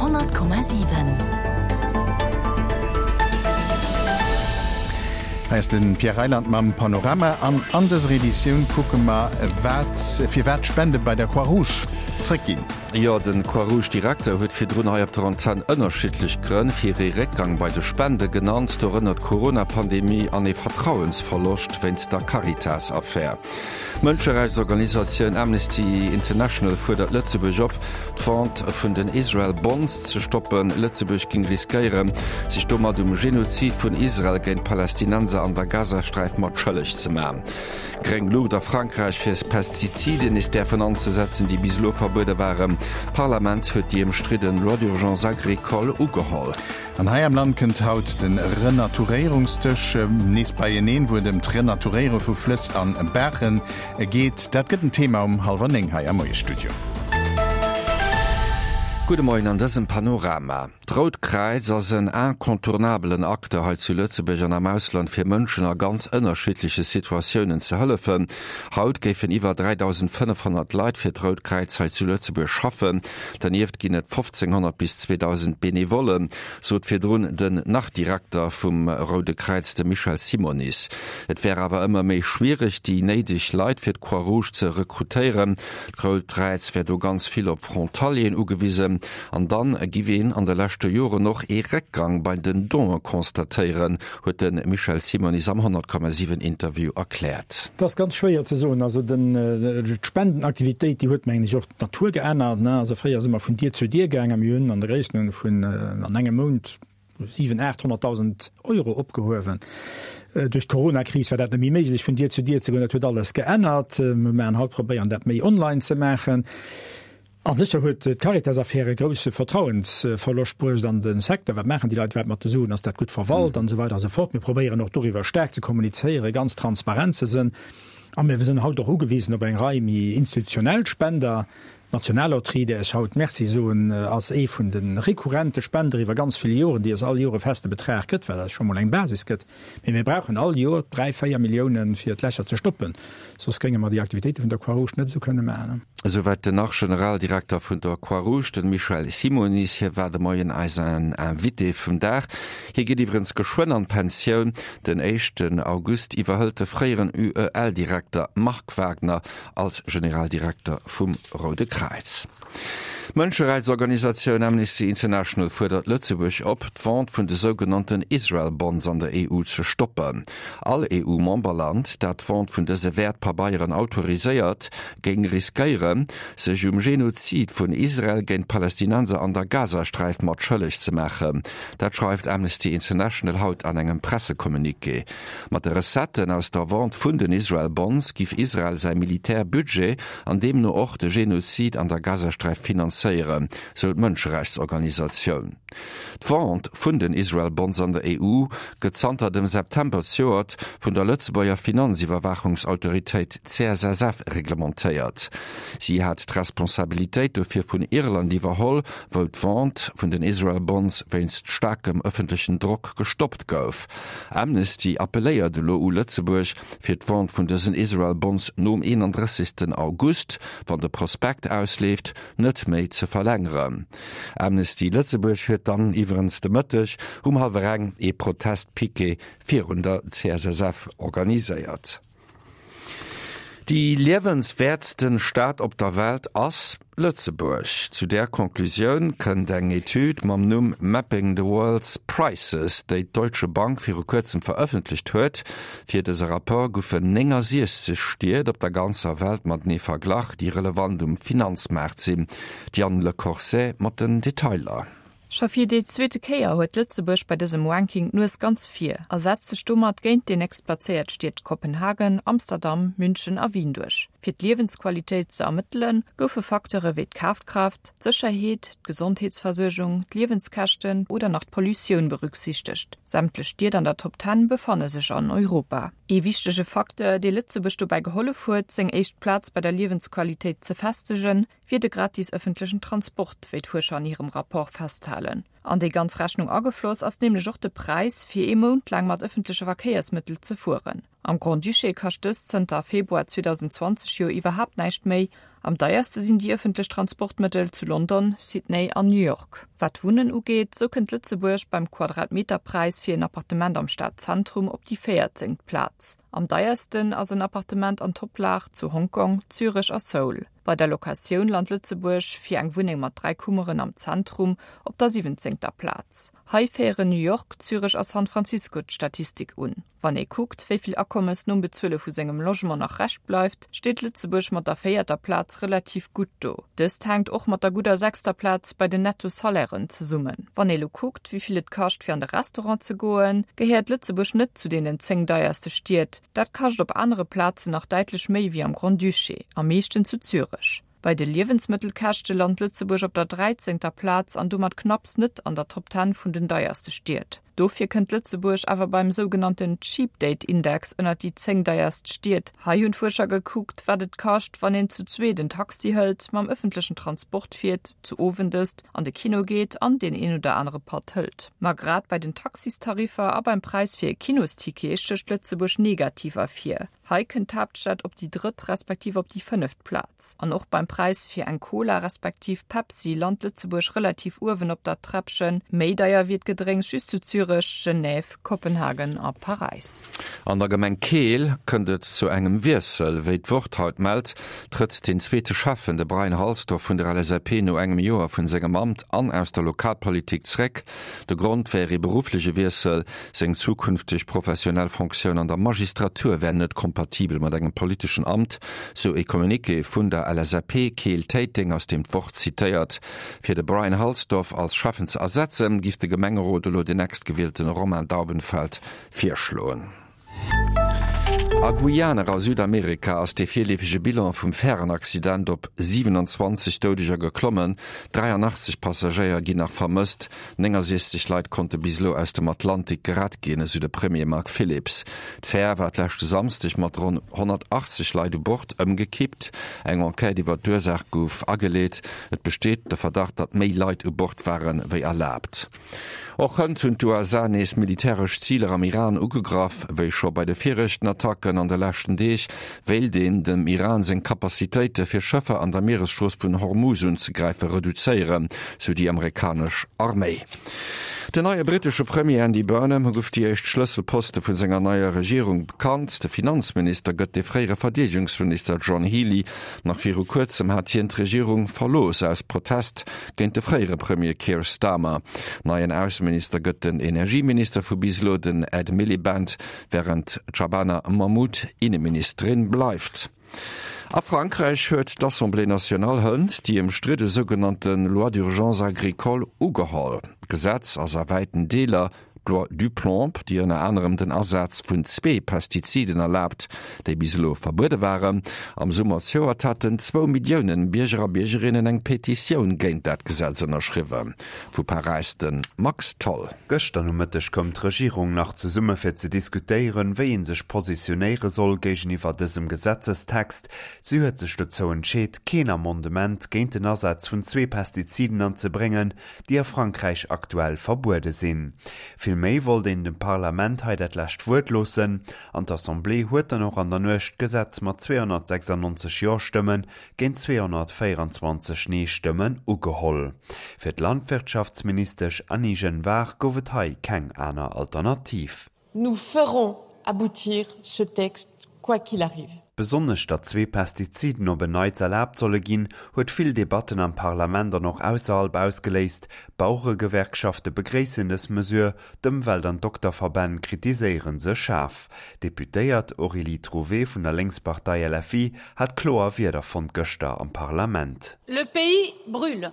100,7. Hei ass de Pierre Reyland mam Panorama an an dëser Editioun kucke mer wat firwat d'Spende bei der Croix Rouge zréckginn. Jo, de Croix Rouge Direkter huet virdrun hei op der Antenn ënnerschiddlech Grënn fir ee Réckgang bei de Spende genannt, dorënner d'Corona-Pandemie an ee Vertrauensverloscht wéinst der Caritas-Affär. D'Mënscherechtsorganisatioun Amnesty International fuerdert Lëtzebuerg op, d'Vente vun den Israel Bonds ze stoppen. Lëtzebuerg géing riskéieren, sech domat um Genozid vun Israel géint Palästinenser an der Gazasträif mat schëlleg ze man. Gréng Luucht a Frankräich fir Pestiziden nees däerfen anzesetzen, déi bis elo verbuede waren. D'Parlament huet déi ëmstridden Loi d'urgence agricole ugeholl. An hei am Land kënnt haut de Renaturéierungsdësch nees beieneen, wou et ëm d'Renaturéiere vu Flëss an Baache geet. Dat gëtt en Thema um hallwer 9 hei am Moiesstudio. Gudde Moien an dësem Panorama. D'Rout Kräiz ass en incontournabelen Acteur hei zu Lëtzebuerg an am Ausland fir Mënschen a ganz ënnerschiddleche Situatiounen ze hëllefen. Haut géifen iwwer 3.500 Leit fir d'Rout Kräiz hei zu Lëtzebuerg schaffen. Dernieft ginn et 1.500 bis 2.000 Benevollen, sot virdrun den Nach-Direkter vum Roude Kräiz, de Michel Simonis. Et wär awer ëmmer méi schwiereg, déi néideg Leit fir d'Croix Rouge ze rekrutéieren. D'Rout Kräiz wär do ganz vill op Frontalieren ugewisen. An dann giff een an de leschte Joren och ee Réckgang bei den Donë constatéieren, huet de Michel Simonis am 100,7 Interview erkläert. Dat ass ganz schwéier ze soen. Also d'Spendenaktivitéit, déi huet, mengen ech, och d'Natur geännert. Also fréier si mer vun Dier zu Dier gaangen. Mir hunn an der Gréisstenordnung vun an engem Mount 700.000, 800.000 Euro opgehuewen. Duerch d'Coronakris war dat net méi méiglech, vun Dier zu Dier ze goen. Dat huet alles geännert. Mir maachen haut, probéieren dat méi online ze maachen. A sécher huet d'Caritas-Affär e grousse Vertrauensverloscht bruecht an de Secteur. Wat maachen déi Leit iwwerhaapt mat de Suen? Ass dat gutt verwalt? An esou weider a sou fort. Mir probéieren och doriwwer staark ze kommunizéieren, ganz transparent ze sënn. A mir sënn haut och ugewisen op eng Rei méi institutionell Spender. D'Nationallotterie, där ech haut Merci soen, ass ee vun de rekurrente Spender iwwer ganz vill Joren, déi eis all Joer e feste Betrag gëtt, wat eis scho mol eng Basis gëtt. Mee mir brauchen all Joer 3, 4 Milliounen, fir d'Lächer ze stoppen, soss géinge mer déi Aktivitéite vun der Croix-Rouge net esou kënne maachen. Esouwäit den Nach-Generaldirekter vun der Croix-Rouge, de Michel Simonis. Hie war de Moien eisen Invité vum Dag. Hie geet iwwerens geschwënn an d'Pensioun. Den éischten August iwwerhëlt de fréieren UEL-Direkter Marc Wagner als Generaldirekter vum Roude Kräiz. D'Mënscherechtsorganisatioun Amnesty International fuerdert Lëtzebuerg op, d'Vente vun de sougenannten Israel Bonds an der EU ze stoppen. All EU-Memberland, dat d'Vente vun dëse Wäertpabeieren autoriséiert, géing riskéieren, sech um Genozid vun Israel géint d'Palästinenser an der Gazasträif mat schëlleg ze maachen. Dat schreift Amnesty International haut an engem Pressecommuniqué. Mat de Recetten aus der Vente vun den Israel Bonds giff Israel säi Militärbudget an deemno och de Genozid an der Gazasträif finanzéieren, sou d'Mënscherechtsorganisatioun. D'Vente vun den Israel Bonds an der EU gëtt zanter dem September zejoert vun der Lëtzebuerger Finanziwwerwaachungsautoritéit CSSF reglementéiert. Si hat d'Responsabilitéit dofir vun Irland iwwerholl, wou d'Vente vun den Israel Bonds wéinst staarkem ëffentlechen Drock gestoppt gouf. Amnesty appelléiert elo u Lëtzebuerg, fir d'Vente vun dësen Israel Bonds nom 31. August, wann de Prospekt ausleeft, net méi ze verlängeren. Amnesty Lëtzebuerg huet dann iwwerens de Mëtteg um hallwer eng ee Protestpiquet virun der CSSF organiséiert. Déi liewenswäertsten Stad op der Welt ass Lëtzebuerg. Zu där Conclusioun kënnt eng Etüd mam Numm Mapping the World's Prices, déi d'Deutsche Bank viru kuerzem verëffentlecht huet. Fir dëse Rapport goufen 69 Stied op der ganzer Welt matenee verglach, déi relevant um Finanzmaart sinn. D'Diane Le Corset mat den Detailer. Scho fir déi zweete Kéier huet Lëtzebuerg bei dësem Ranking d'Nues ganz vir a setzt sech domat géint déi nächstplazéiert Stied Kopenhagen, Amsterdam, München a Wien duerch. Fir d'Liewensqualitéit ze ermëttelen, goufe Facteure wéi d'Kafkraaft, d'Sécherheet, d'Gesondheetsversuergung, d'Liewenskäschten oder nach d'Pollutioun berücksichtegt. Sämtlech Stied an der Top Ten befanne sech an Europa. Ee wichtege Facteur, dee Lëtzebuerg dobäi gehollef huet, seng éischt Plaz bei der Liewensqualitéit ze festegen, wier de gratis ëffentlechen Transport, wéi d'Fuerscher an hirem Rapport festhalen. An déi ganz Rechnung agefloss ass nämlech och de Präis, fir ee Mount laang mat ëffentleche Verkéiersmëttel ze fueren. Am Grand-Duché kascht dëst zënter Februar 2020 jo iwwerhaapt näischt méi. Am deierste sinn déi ëffentlech Transportmëttel zu London, Sydney an New York. Wat d'Wunnen ugeet, sou kënnt Lëtzebuerg beim Quadratmeterpräis fir en Appartement am Stadzentrum op déi véierzéngt Plaz. Am deiersten ass en Appartement an Toplag zu Hongkong, Zürech a Seoul. Bei der Locatioun lant Lëtzebuerg fir eng Wunneng mat 3 Kummeren am Zentrum op der siwwenzéngter Plaz. Hei féieren New York, Zürech a San Francisco d'Statistik un. Wann ee kuckt, wéi vill Akommes nom Bezuele vu sengem Logement nach Rescht bleift, steet Lëtzebuerg mat der véierter Plaz relativ gutt do. Dëst hänkt och mat der gudder sechster Plaz bei den Netto-Salairen zesummen. Wann ee lo kuckt, wéi vill et kascht fir an de Restaurant ze goen, gehéiert Lëtzebuerg net zu deenen 10 deierste Stied. Dat kascht op anere Plazen nach däitlech méi wéi am Grand-Duché, am meeschten zu Zürech. Bei de Liewensmëttelkäschte lant Lëtzebuerg op der dräizéngter Plaz an domat knapps net an der Top Ten vun den deierste Stied. Dofir kënnt Lëtzebuerg awer beim sougenannten Cheap Date Index ënnert déi 10 deierst Stied. Hei hunn d'Fuerscher gekuckt, wat et kascht, wann een zu zweet en Taxi hëlt, mam ëffentlechen Transport fiert, zu Owend ësst, an de Kino geet an deen een oder anere Patt hëlt. Ma grad bei den Taxistariffer a beim Präis fir e Kinosticket stécht Lëtzebuerg negativ ervir. Hei kënnt d'Haaptstad op déi drëtt respektiv op déi fënneft Plaz. An och beim Präis fir eng Cola respektiv Pepsi lant Lëtzebuerg relativ uewen op der Träppchen. Méi deier wier d'Gedrénks just zu Zürech, Genève, Kopenhagen a Paräis. An der Gemeng Keel kënnt et zu engem Wiessel. Wéi d'Wort haut mellt, trëtt den zweete Schäffen, de Brian Halsdorf vun der LSAP, no engem Joer vun sengem Amt an aus der Lokalpolitik zréck. De Grond wär ee beruffleche Wiessel, Seng zukünfteg professionell Fonctioun an der Magistratur wär net kompatibel mat engem politeschen Amt, sou ee Communiqué vun der LSAP Keel-Téiteng, aus deem d'Wort zitéiert. Fir de Brian Halsdorf als Schäffen ze ersetzen, giff de Gemengerot elo den nächstgewielten Romain Daubenfeld virschloen. A Guyana a Südamerika ass de virleefege Bilan vum Färenaccident op 27 Doudeger geklommen. 83 Passagéier ginn nach vermësst. 69 Leit konnte bis elo aus dem Atlantik gerett ginn, esou de Premier Mark Phillips. D'Fär war d'leschte Samsdeg mat ronn 180 Leit u Bord ëmgekippt. Eng Enquête iwwer d'Ursaach gouf ageleet. Et besteet de Verdacht, datt méi Leit u Bord ware wéi erlaabt. Och hënt hunn d'USA nees militäresch Ziler am Iran ugegraff. Wéi scho bei de viregten Attacken an de leschten Deeg, wéilt een dem Iran seng Capacitéite fir Schëffer an der Mieresstrooss vun Hormuz unzegräife reduzéieren, sou déi amerikanesch Arméi. Den neie brittesche Premier Andy Burnham gouf déi éischt Schlësselposte vu senger neier Regierung bekannt. De Finanzminister gëtt de fréiere Verdeedegungsminister John Healey. Nach viru kuerzem hat hien d'Regierung verlooss aus Protest géint de fréiere Premier Keir Starmer. Neien Ausseminister gëtt den Energieminister vu bis elo, den Ed Miliband, wärend d'Shabana Mahmood Inneministerin bleift. A Frankräich huet d'Assemblée nationale hënt déi ëmstridde sougenannte Loi d'urgence agricole ugeholl. D'Gesetz ass a wäiten Deeler D'Loi Duplomb, déi ënner anerem den Asaz vun zwee Pestiziden erlaabt, déi bis elo verbuede waren. Am Summer zejoert haten zwou Milliounen Bierger a Biergerinnen eng Petitioun géint dat Gesetz ënnerschriwwen. Vu Paräis de Max Tholl. Gëschter Nomëtteg koum d'Regierung nach zesumme fir ze diskutéieren, wéi ee sech positionéiere soll géigeniwwer dësem Gesetzestext. Si huet sech dozou entscheet, keen Amendement géint den Asaz vun zwee Pestiziden anzebréngen, déi a Frankräich aktuell verbuede sinn. Villméi wollt een dem Parlament hei dat lescht Wuert loossen, an d'Assemblée huet dann och an der Nuecht d'Gesetz mat 296 Jo-Stëmme géint 224 Nee-Stëmmen ugeholl. Fir d'Landwirtschaftsministesch Annie Genevard gouf et hei keng aner Alternativ. Nous ferons aboutir ce texte, quoi qu'il arrive. Besonnesch datt zwee Pestiziden op en Neits erlaabt solle ginn, huet vill Debatten am Parlament an och ausserhalb ausgeléist. D'Baueregewerkschafte begréissen dës Mesure, d'Ëmwelt an d'Dokterverbänn kritiséiere se schaarf. D'Deputéiert Aurélie Trouvé vun der Lénkspartei LFI hat kloer Wierder fonnt gëschter am Parlament. Le pays brûle.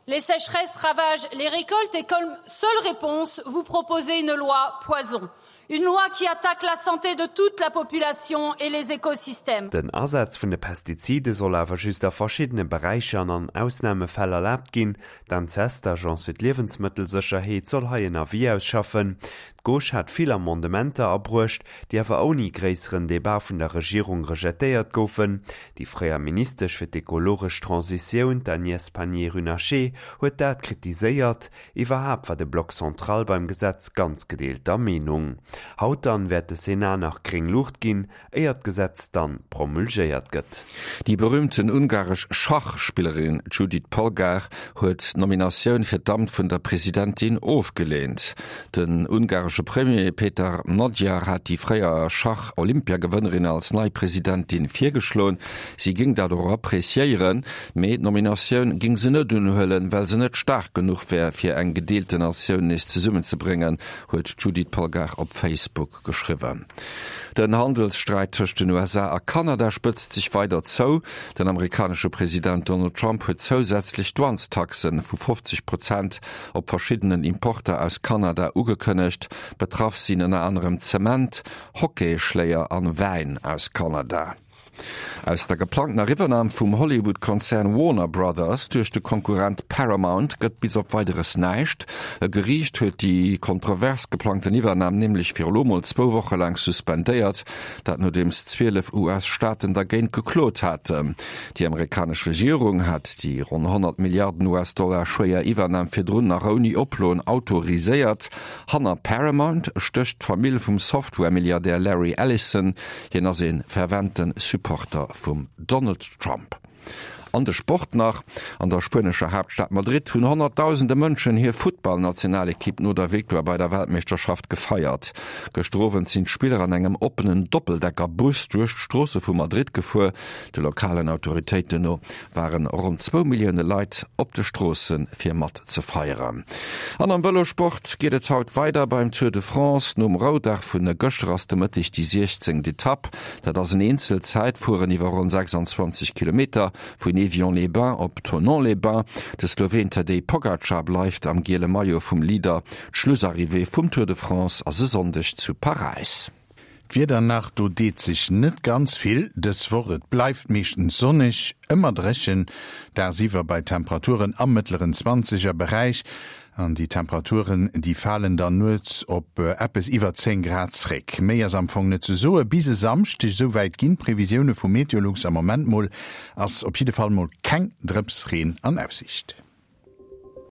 Les sécheresses ravagent les récoltes et comme seule réponse, vous proposez une loi poison. Une loi qui attaque la santé de toute la population et les écosystèmes. Den Asaz vun de Pestizide soll awer just a verschiddene Beräicher an an Ausnamefäll erlaabt ginn. D'ANSES, d'Agence fir d'Liewensmëttelsécherheet, soll hei en Avis ausschaffen. D'Gauche hat vill Amendementer abruecht, déi awer ouni gréisseren Debat vun der Regierung rejetéiert goufen. Déi fréier Ministesch fir d'ekologesch Transitioun, d'Agnès Pannier-Runacher, huet dat kritiséiert. Iwwerhaapt war de Bloc central beim Gesetz ganz gedeelter Meenung. Haut dann wäert de Sénat nach gréng Luucht ginn, éier d'Gesetz dann promulgéiert gëtt. Déi berüümten ungaresch Schachspillerin Judit Polgar huet d'Nominatioun fir d'Amt vun der Presidentin ofgeleent. Den ungaresche Premier Peter Magyar hat déi fréier Schach-Olympiagewënnerin als nei Presidentin virgeschloen. Si géing dat och appreciéieren, mee d'Nominatioun géing se net unhuelen, well se net staark genuch wär, fir eng gedeelte Natioun nees zesummenzebréngen, huet d'Judit Polgar op Facebook geschriwwen. Den Handelssträit tëscht den USA a Kanada spëtzt sech weider zou. Den amerikanesche President Donald Trump huet zousätzlech Douanestaxe vu 50 Prozent op verschiddenen Importer aus Kanada ugekënnegt. Betraff sinn ënner anerem Zement, Hockeyschléier an Wäin aus Kanada. Aus der geplangtener Iwwernam vum Hollywood-Konzern Warner Brothers duerch de Konkurrent Paramount gëtt bis op Weideres näischt. E Geriicht huet déi kontrovers geplangten Iwwernam nämlech fir elo mol zwou Woche laang suspendéiert, dat nodeems 12 US-Staaten dergéint geklot haten. Déi amerikanesch Regierung hat déi ronn 100 Milliarden US-Dollar schwéier Iwwernam virdrun nach ouni Oploen autoriséiert. Hanner Paramount stécht d'Famill vum Software-Milliardär Larry Ellison. Hien ass ee fervente Supporter vum Donald Trump. An de Sport nach, An der spuenescher Haaptstad Madrid hunn honnertdausende Mënschen hir Futtballnationalekipp no der Victoire bei der Weltmeeschterschaft gefeiert. Gëschter Owend sinn d'Spiller an engem oppenen Doppeldeckerbus duerch d'Stroosse vu Madrid gefuer. De lokalen Autoritéiten no waren ronn zwou Millioune Leit op de Stroosse fir mat ze feieren. An am Vëlosport geet et haut weider beim Tour de France. Nom Roudag vun gëschter ass de Mëtteg déi 16. Etapp. Dat ass en Eenzelzäitfueren iwwer ronn 26 Kilometer vun Évian-les-Bains op Thonon-les-Bains. De Sloween Tadej Pogacar bleift am giele Maillot vum Leader. D'Schlussarrivée vum Tour de France ass e Sonndeg zu Paräis. D'Wieder nach, do deet sech net ganz vill dës Woch. Et bleift meeschtens sonneg, ëmmer dréchen, dagsiwwer bei Temperaturen am mëttleren Zwanzeger Beräich. An déi Temperaturen, déi falen dann nuets op eppes iwwer 10 Grad zréck. Méi ass am Fong net ze soe bis e Samschdeg, esouwäit ginn d'Previsioune vu Meteolux. Am Moment mol ass op jidde Fall mol keng Drëps Reen an Aussiicht.